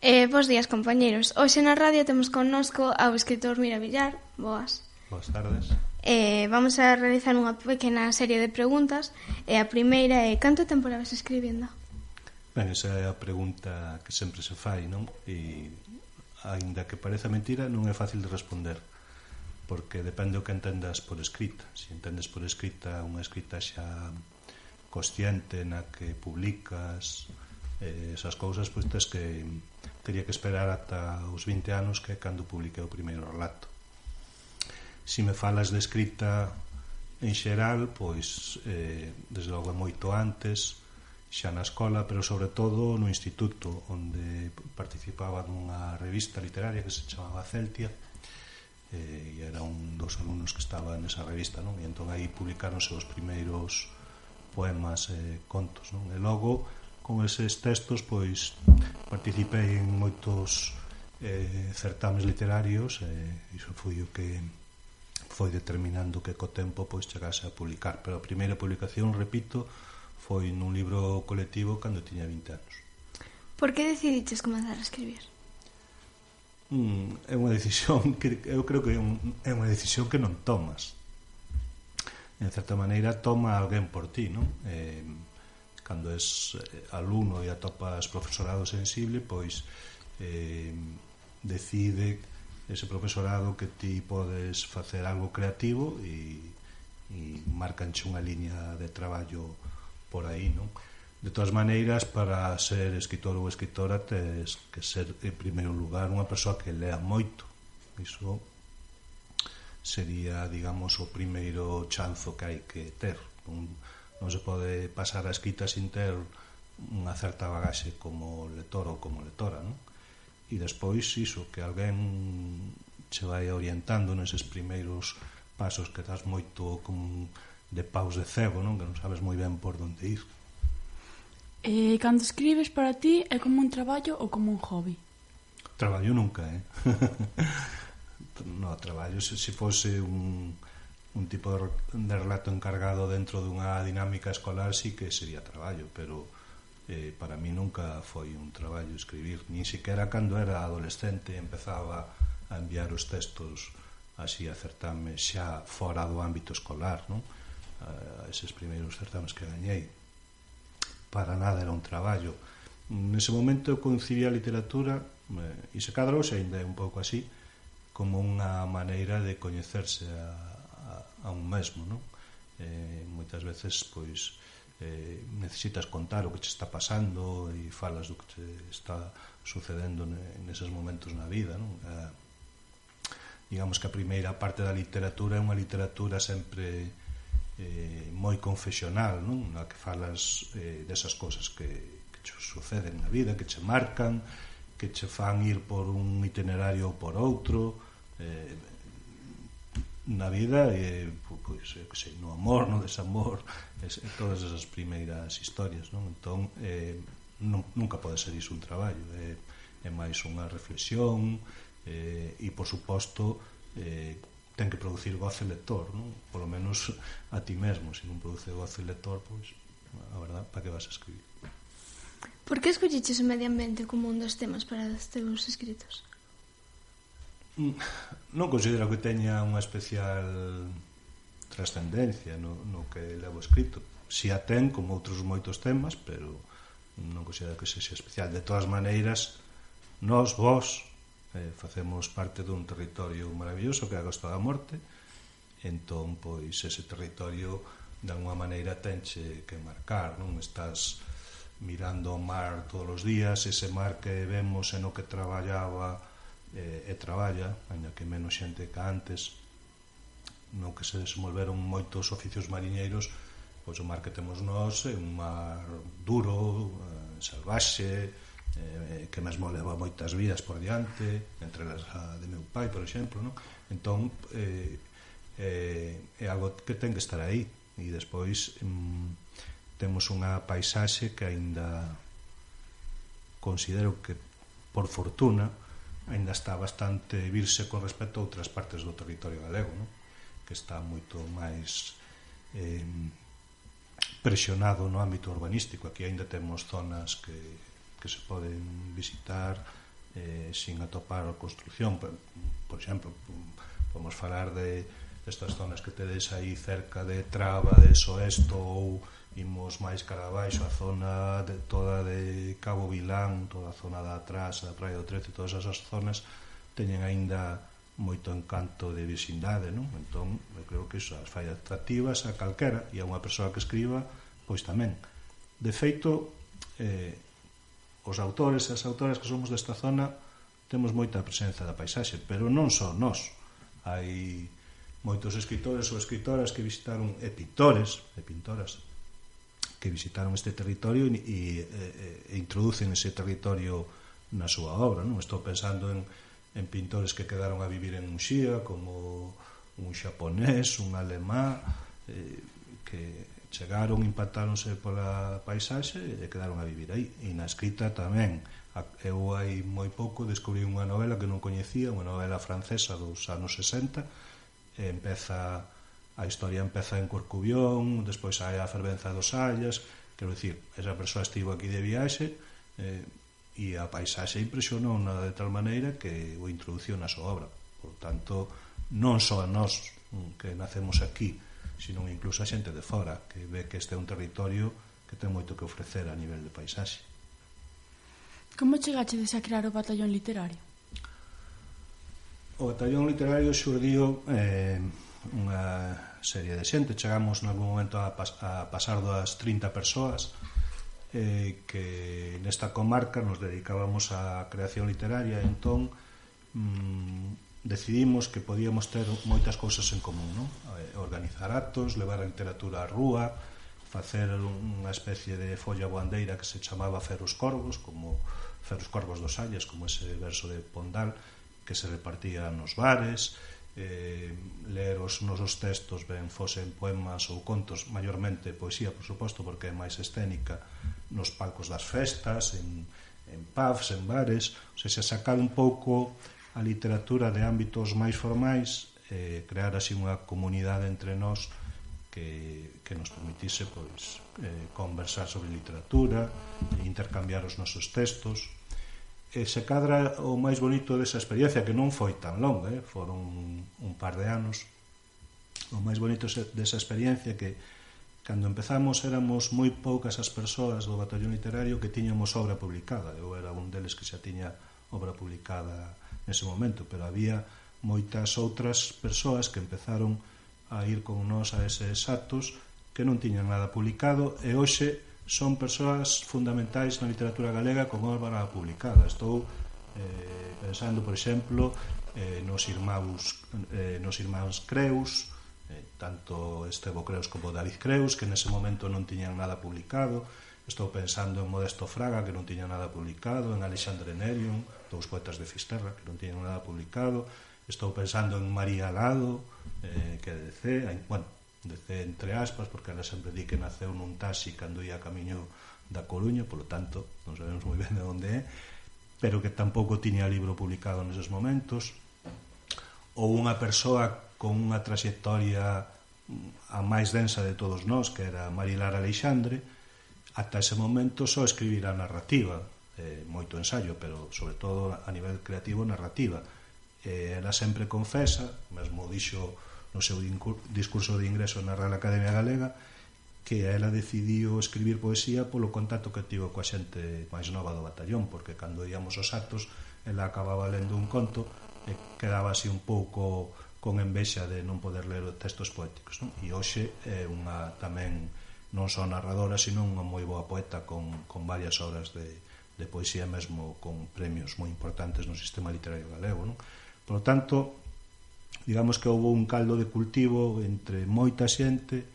Bos días, compañeros. Hoxe na radio temos connosco ao escritor Mira Villar. Boas. Boas tardes. Vamos a realizar unha pequena serie de preguntas. A primeira é: canto tempo levas escribindo? Ben, esa é a pregunta que sempre se fai, non? E, aínda que pareza mentira, non é fácil de responder, porque depende o que entendas por escrita. Se entendes por escrita unha escrita xa consciente na que publicas esas cousas, pois teria que esperar ata os 20 anos, que é cando publiquei o primeiro relato. Se me falas de escrita en xeral, pois desde logo moito antes, xa na escola, pero sobre todo no instituto, onde participaba nunha revista literaria que se chamaba Celtia, e era un dos alumnos que estaba nesa revista, non? E entón aí publicaronse os primeiros poemas e contos, non? E logo, con eses textos, pois participei en moitos certames literarios, e iso foi o que foi determinando que co tempo pois chegase a publicar. Pero a primeira publicación, repito, foi nun libro colectivo cando tiña 20 anos. Por que decidiches comenzar a escribir? É unha decisión que eu creo que é unha decisión que non tomas. En certa maneira toma alguén por ti, non? Cando és alumno e atopas profesorado sensible, pois decide ese profesorado que ti podes facer algo creativo e marcanche unha liña de traballo por aí, non? De todas maneiras, para ser escritor ou escritora tes que ser, en primeiro lugar, unha persoa que lea moito. Iso sería, digamos, o primeiro chanzo que hai que ter. Non se pode pasar a escrita sin ter unha certa bagaxe como lector ou como lectora, non? E despois iso, que alguén che vai orientando neses primeiros pasos que das moito como de paus de cego, non? Que non sabes moi ben por onde ir. Cando escribes, para ti é como un traballo ou como un hobby? Traballo nunca, No, traballo se fose un tipo de relato encargado dentro dunha dinámica escolar, sí que sería traballo, pero para mí nunca foi un traballo escribir, ni siquiera cando era adolescente empezaba a enviar os textos así a certames xa fora do ámbito escolar, non? A eses primeiros certames que gañei, para nada era un traballo. Nese momento eu concibía a literatura, e se cadra hoxe ainda é un pouco así, como unha maneira de coñecerse a un mesmo, non? Moitas veces pois necesitas contar o que che está pasando e falas do que te está sucedendo neses momentos na vida, non? Digamos que a primeira parte da literatura é unha literatura sempre moi confesional, non? Na que falas desas cousas que che suceden na vida, que che marcan, que che fan ir por un itinerario ou por outro, na vida, pois, que sei, no amor, no desamor, todas esas primeiras historias, non? Entón, nunca pode ser iso un traballo, é máis unha reflexión, e, por suposto, ten que producir goce lector, non? Polo menos a ti mesmo. Se non produce goce lector, pois, a verdad, para que vas a escribir? Por que escolliches o medio ambiente como un dos temas para os teus escritos? Non considero que teña unha especial trascendencia no que levo escrito. Si a ten, como outros moitos temas, pero non considero que sexa especial. De todas maneiras, vos, facemos parte dun territorio maravilloso que é a Costa da Morte. Entón, pois, ese territorio de alguma maneira tenche que marcar, non? Estás mirando o mar todos os días, ese mar que vemos e no que traballaba e traballa, ainda que menos xente que antes, no que se desenvolveron moitos oficios mariñeiros, pois o mar que temos nós é un mar duro, salvaxe, que mesmo leva moitas vidas por diante, entre as de meu pai, por exemplo, non? Entón, é algo que ten que estar aí. E despois temos unha paisaxe que aínda considero que, por fortuna, aínda está bastante virse con respecto a outras partes do territorio galego, non? Que está moito máis presionado no ámbito urbanístico. Aquí aínda temos zonas que se poden visitar sin atopar a construción. Por exemplo, podemos falar de estas zonas que tedes aí cerca de Traba, de Soesto, ou imos máis cara abaixo, a zona toda de Cabo Vilán, toda a zona da atrás, da Praia do Trece, todas esas zonas teñen aínda moito encanto de vecindade, non? Entón, eu creo que iso as fai atractivas a calquera, e a unha persoa que escriba, pois tamén. De feito, os autores e as autoras que somos desta zona temos moita presenza da paisaxe, pero non só nós. Hai moitos escritores ou escritoras que visitaron, e pintores e pintoras que visitaron este territorio e introducen ese territorio na súa obra, non? Estou pensando en pintores que quedaron a vivir en Muxía, como un xaponés, un alemán, que chegaron, impactáronse pola paisaxe e quedaron a vivir aí. E na escrita tamén. Eu hai moi pouco descubrí unha novela que non coñecía, unha novela francesa dos anos 60, e a historia empeza en Corcubión, despois hai a fervenza dos Sallas, quero dicir, esa persoa estivo aquí de viaxe e a paisaxe impresionou de tal maneira que o introduciu na súa obra. Por tanto, non só a nós que nacemos aquí, sino incluso a xente de fora, que ve que este é un territorio que ten moito que ofrecer a nivel de paisaxe. Como chegachedes a crear o batallón literario? O batallón literario xurdiu unha serie de xente. Chegamos en algún momento a pasar das 30 persoas que nesta comarca nos dedicábamos á creación literaria. Entón decidimos que podíamos ter moitas cousas en común, non? Organizar actos, levar a literatura á rúa, facer unha especie de folla boandeira que se chamaba Feros Corvos, como Feros Corvos dos Sallas, como ese verso de Pondal que se repartía nos bares, ler os nosos textos, ben fosen poemas ou contos, maiormente poesía, por suposto, porque é máis escénica, nos palcos das festas, en pubs, en bares, ou seja, sacar un pouco a literatura de ámbitos máis formais, crear así unha comunidade entre nós que nos permitise pois conversar sobre literatura, intercambiar os nosos textos. Se cadra o máis bonito desa experiencia, que non foi tan longa, foron un par de anos. O máis bonito desa experiencia que cando empezamos éramos moi poucas as persoas do batallón literario que tiñamos obra publicada. Eu era un deles que xa tiña obra publicada nese momento, pero había moitas outras persoas que empezaron a ir con nós a eses actos que non tiñan nada publicado e hoxe son persoas fundamentais na literatura galega con obra publicada. Estou pensando, por exemplo, nos irmáns Creus, tanto Estevo Creus como David Creus, que nese momento non tiñan nada publicado. Estou pensando en Modesto Fraga, que non tiña nada publicado, en Alexandre Nerion, dous poetas de Fisterra, que non tiñan nada publicado. Estou pensando en María Lado, que é de DC, DC entre aspas, porque ela sempre di que naceu nun taxi cando ia a camiño da Coruña, polo tanto, non sabemos moi ben de onde é, pero que tampouco tiña libro publicado neses momentos. Ou unha persoa con unha trayectoria a máis densa de todos nós, que era Marilar Alexandre, ata ese momento só escribir a narrativa, moito ensayo, pero sobre todo a nivel creativo narrativa. Ela sempre confesa, mesmo dixo no seu discurso de ingreso na Real Academia Galega, que ela decidiu escribir poesía polo contacto que tivo coa xente máis nova do batallón, porque cando íamos aos actos ela acababa lendo un conto e quedaba así un pouco con envexa de non poder ler textos poéticos, non? E hoxe é unha tamén non só narradora, sino unha moi boa poeta con varias obras de poesía, mesmo con premios moi importantes no sistema literario galego, non? Por lo tanto, digamos que houve un caldo de cultivo entre moita xente,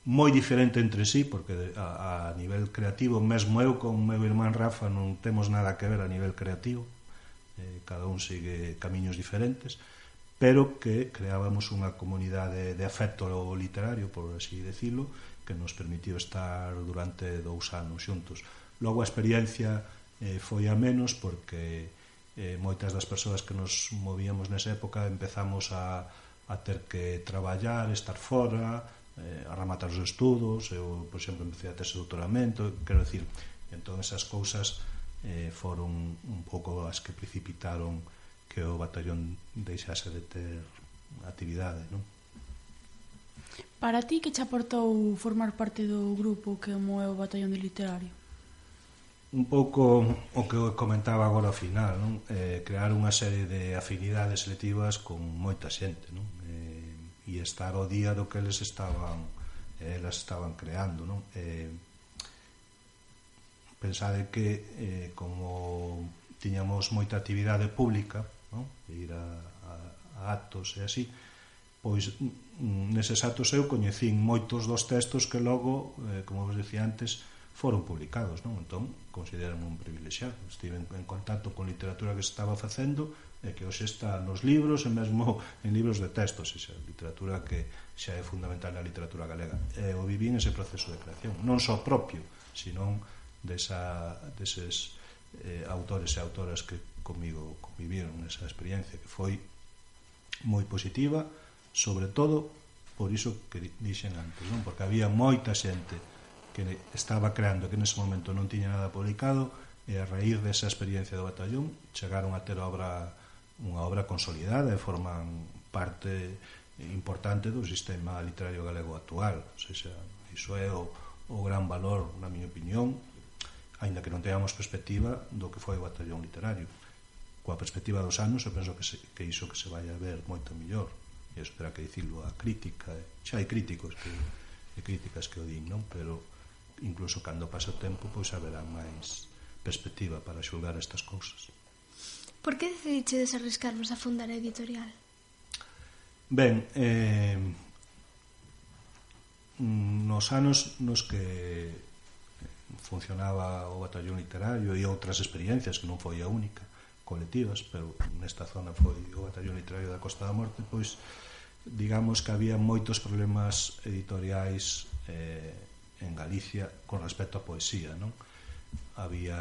moi diferente entre sí, porque a nivel creativo, mesmo eu con o meu irmán Rafa non temos nada que ver a nivel creativo, cada un sigue camiños diferentes, pero que creábamos unha comunidade de afecto literario, por así decirlo, que nos permitiu estar durante 2 anos xuntos. Logo a experiencia foi a menos, porque moitas das persoas que nos movíamos nesa época empezamos a ter que traballar, estar fora, a rematar os estudos. Eu, por exemplo, empecé a ter ese doutoramento, quero dicir, entón esas cousas foron un pouco as que precipitaron que o batallón deixase de ter actividade, non? Para ti, que che aportou formar parte do grupo que como é o batallón de literario? Un pouco o que comentaba agora ao final, non? Crear unha serie de afinidades selectivas con moita xente, non? E estar ao día do que elas estaban creando, non? Pensade que como tiñamos moita actividade pública, non? De ir a actos e así, pois neses actos eu coñecín moitos dos textos que logo, como vos decía antes, foron publicados, non? Entón, considerame un privilexiado. Estive en contacto con literatura que se estaba facendo e que hoxe está nos libros e mesmo en libros de textos, xa, literatura que xa é fundamental na literatura galega. Eu viví en ese proceso de creación, non só propio, sino deses autores e autoras que comigo conviviron nesa experiencia, que foi moi positiva, sobre todo por iso que dixen antes, non? Porque había moita xente que estaba creando que nese momento non tiña nada publicado e a raíz desa experiencia do batallón chegaron a ter unha obra consolidada e forman parte importante do sistema literario galego actual. O sea, iso é o gran valor, na miña opinión, aínda que non teñamos perspectiva do que foi o batallón literario. Coa perspectiva dos anos, eu penso que iso que se vai a ver moito mellor, e iso terá que dicirlo a crítica, xa hai críticos e críticas que o din, non? Pero incluso cando pasa o tempo, pois haberá máis perspectiva para xulgar estas cousas. Por que decidiches arriscarvos a fundar a editorial? Ben, nos anos nos que funcionaba o batallón literario e outras experiencias, que non foi a única, colectivas, pero nesta zona foi o batallón literario da Costa da Morte, pois digamos que había moitos problemas editoriais en Galicia con respecto á poesía, non? Había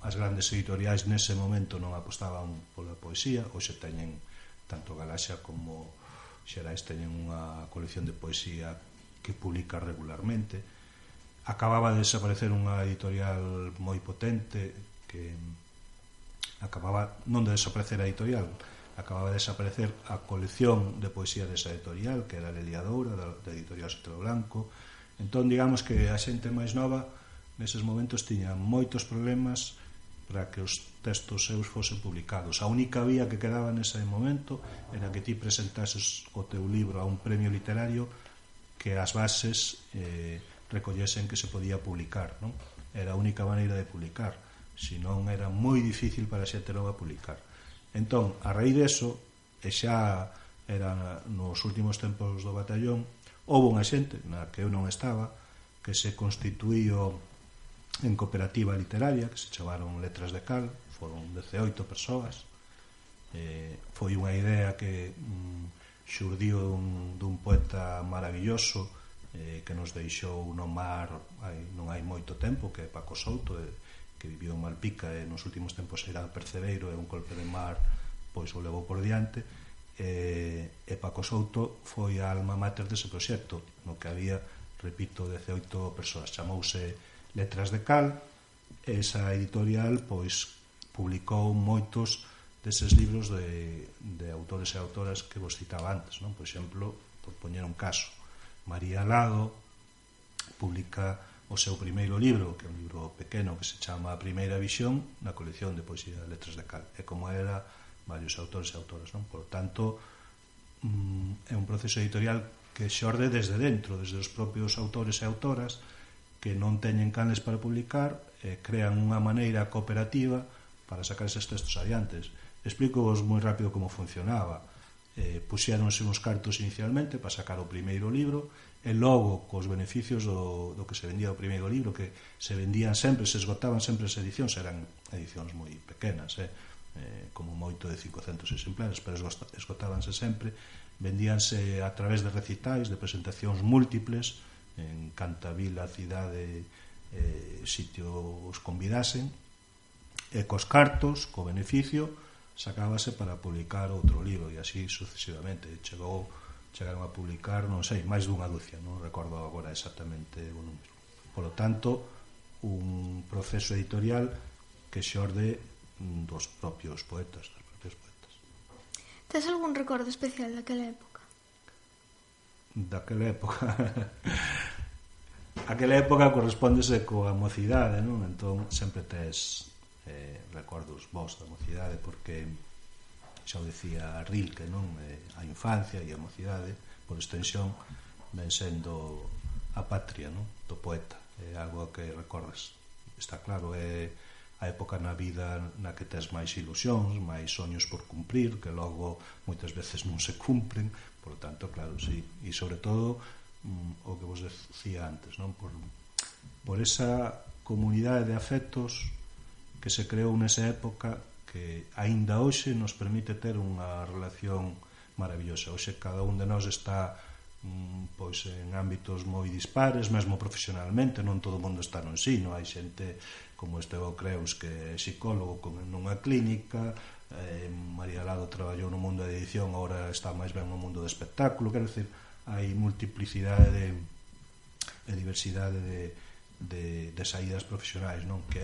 as grandes editoriais nese momento non apostaban pola poesía, hoxe teñen tanto Galaxia como Xerais teñen unha colección de poesía que publica regularmente. Acababa de desaparecer unha editorial moi potente que acababa non de desaparecer a editorial, acababa de desaparecer a colección de poesía desa editorial, que era a Leliadoura, da editorial Sotelo Blanco. Entón, digamos que a xente máis nova neses momentos tiña moitos problemas para que os textos seus fosen publicados. A única vía que quedaba nese momento era que ti presentases o teu libro a un premio literario que as bases recollesen que se podía publicar, non? Era a única maneira de publicar, senón era moi difícil para a xente nova publicar. Entón, a raíz deso, e xa era nos últimos tempos do batallón, houve unha xente na que eu non estaba, que se constituíu en cooperativa literaria, que se chamaron Letras de Cal, foron 18 persoas. Foi unha idea que xurdiu dun poeta maravilloso que nos deixou no mar non hai moito tempo, que é Paco Souto, que viviu en Malpica e nos últimos tempos era percebeiro e un golpe de mar pois o levou por diante, e Paco Souto foi a alma mater dese proxecto, no que había, repito, 18 persoas. Chamouse Letras de Cal, e esa editorial pois publicou moitos deses libros de autores e autoras que vos citaba antes, non? Por exemplo, por poñer un caso, María Lado publica o seu primeiro libro, que é un libro pequeno que se chama A Primeira Visión, na colección de poesía de Letras de Cal, e como era varios autores e autoras, non? Por tanto, é un proceso editorial que xorde desde dentro, desde os propios autores e autoras que non teñen canles para publicar, crean unha maneira cooperativa para sacar eses textos adiantes. Explico-vos moi rápido como funcionaba. Puxéronse uns cartos inicialmente para sacar o primeiro libro, e logo cos beneficios do que se vendía o primeiro libro, que se vendían sempre, se esgotaban sempre as edicións, eran edicións moi pequenas, como moito de 500 exemplares, pero esgotábanse sempre, vendíanse a través de recitais, de presentacións múltiples en canta vila, cidade, sitio os convidasen, e cos cartos, co beneficio, sacábase para publicar outro libro, e así sucesivamente. Chegaron a publicar, non sei, máis dunha dúcia, non recordo agora exactamente o número. Por lo tanto, un proceso editorial que xorde dos propios poetas, das propias poetas. Tes algún recordo especial daquela época? Daquela época aquela época correspóndese coa mocidade, non? Entón sempre tes recordos vos da mocidade, porque xa o decía Rilke, non? A infancia e a mocidade por extensión ven sendo a patria, non? Do poeta, é algo que recordas. Está claro, é a época na vida na que tes máis ilusións, máis soños por cumprir, que logo moitas veces non se cumpren, por lo tanto, claro, sí, e sobre todo o que vos decía antes, non? Por esa comunidade de afectos que se creou nesa época, que aínda hoxe nos permite ter unha relación maravillosa. Hoxe cada un de nós está pois en ámbitos moi dispares, mesmo profesionalmente, non todo o mundo está no ensino, hai xente como Estevão Creus que é psicólogo nunha clínica, María Lado traballou no mundo da edición, agora está máis ben no mundo do espectáculo, quero dicir, hai multiplicidade e diversidade de saídas profesionais, non? Que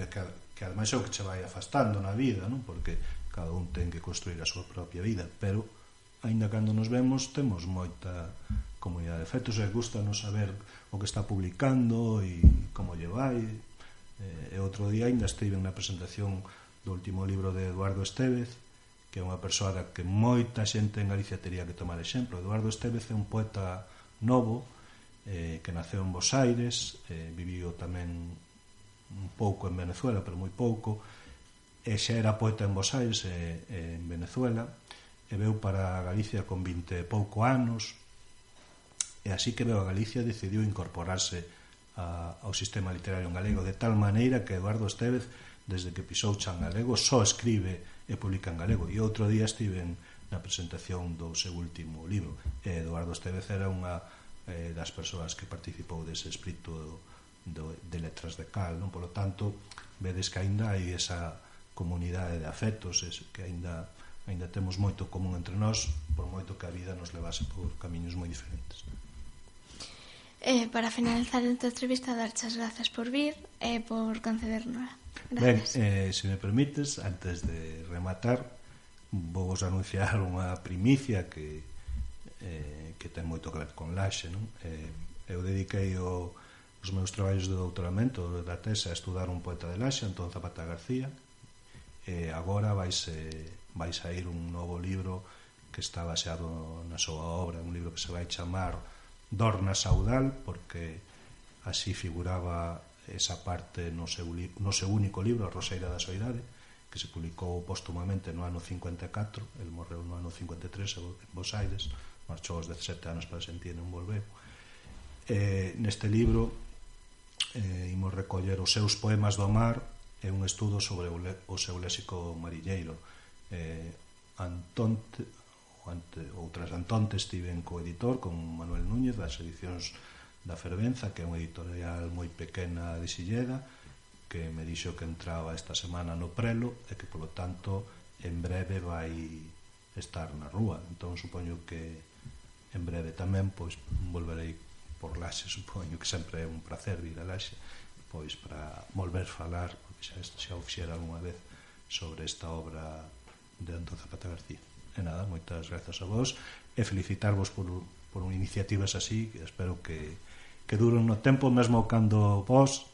ademais é o que che vai afastando na vida, non? Porque cada un ten que construir a súa propia vida, pero aínda cando nos vemos temos moita comunidade de efectos e gustanos saber o que está publicando e como lle vai. E outro día ainda estive na presentación do último libro de Eduardo Estévez, que é unha persoa que moita xente en Galicia tería que tomar exemplo. Eduardo Estévez é un poeta novo que naceu en Bos Aires, viviu tamén un pouco en Venezuela, pero moi pouco, e xa era poeta en Bos Aires en Venezuela, e veu para Galicia con 20 e pouco anos, e así que veu a Galicia decidiu incorporarse ao sistema literario en galego, de tal maneira que Eduardo Estévez, desde que pisou Chan Galego, só escribe e publica en galego. E outro día estiven na presentación do seu último libro, e Eduardo Estévez era unha das persoas que participou dese espírito de letras de cal, non? Por lo tanto, vedes que aínda hai esa comunidade de afectos, que aínda temos moito común entre nós, por moito que a vida nos levase por camiños moi diferentes. Para finalizar esta entrevista, darche as grazas por vir e por concedernos. Ben, se me permites, antes de rematar, vou vos anunciar unha primicia que ten moito que ver con Laxe, non? Eu dediquei os meus traballos de doutoramento da tese a estudar un poeta de Laxe, Antón Zapata García, e agora vai sair un novo libro que está baseado na súa obra, un libro que se vai chamar Dorna Saudal, porque así figuraba esa parte no seu único libro, A Roseira da Soidade, que se publicou póstumamente no ano 54, el morreu no ano 53 en Bos Aires, marchou aos 17 anos para Argentina e non volveu. Neste libro imos recoller os seus poemas do mar e un estudo sobre o seu léxico mariñeiro. Tras Antonte estiven co-editor con Manuel Núñez das edicións da Fervenza, que é unha editorial moi pequena de Silleda, que me dixo que entraba esta semana no prelo e que polo tanto en breve vai estar na rúa. Entón supoño que en breve tamén pois volverei por Laxe, supoño que sempre é un placer vir a Laxe, pois para volver falar, porque xa o fixera algunha vez, sobre esta obra de Antón Zapata García. E nada, moitas grazas a vos e felicitarvos por iniciativas así, que espero que duren no tempo, mesmo cando vos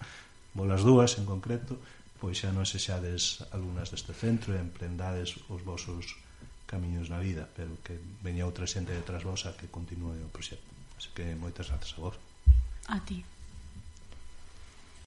as dúas en concreto, pois xa non sexades alumnas deste centro e emprendades os vosos camiños na vida, pero que veña outra xente detrás vos a que continue o proxecto. Así que moitas grazas a vos. A ti.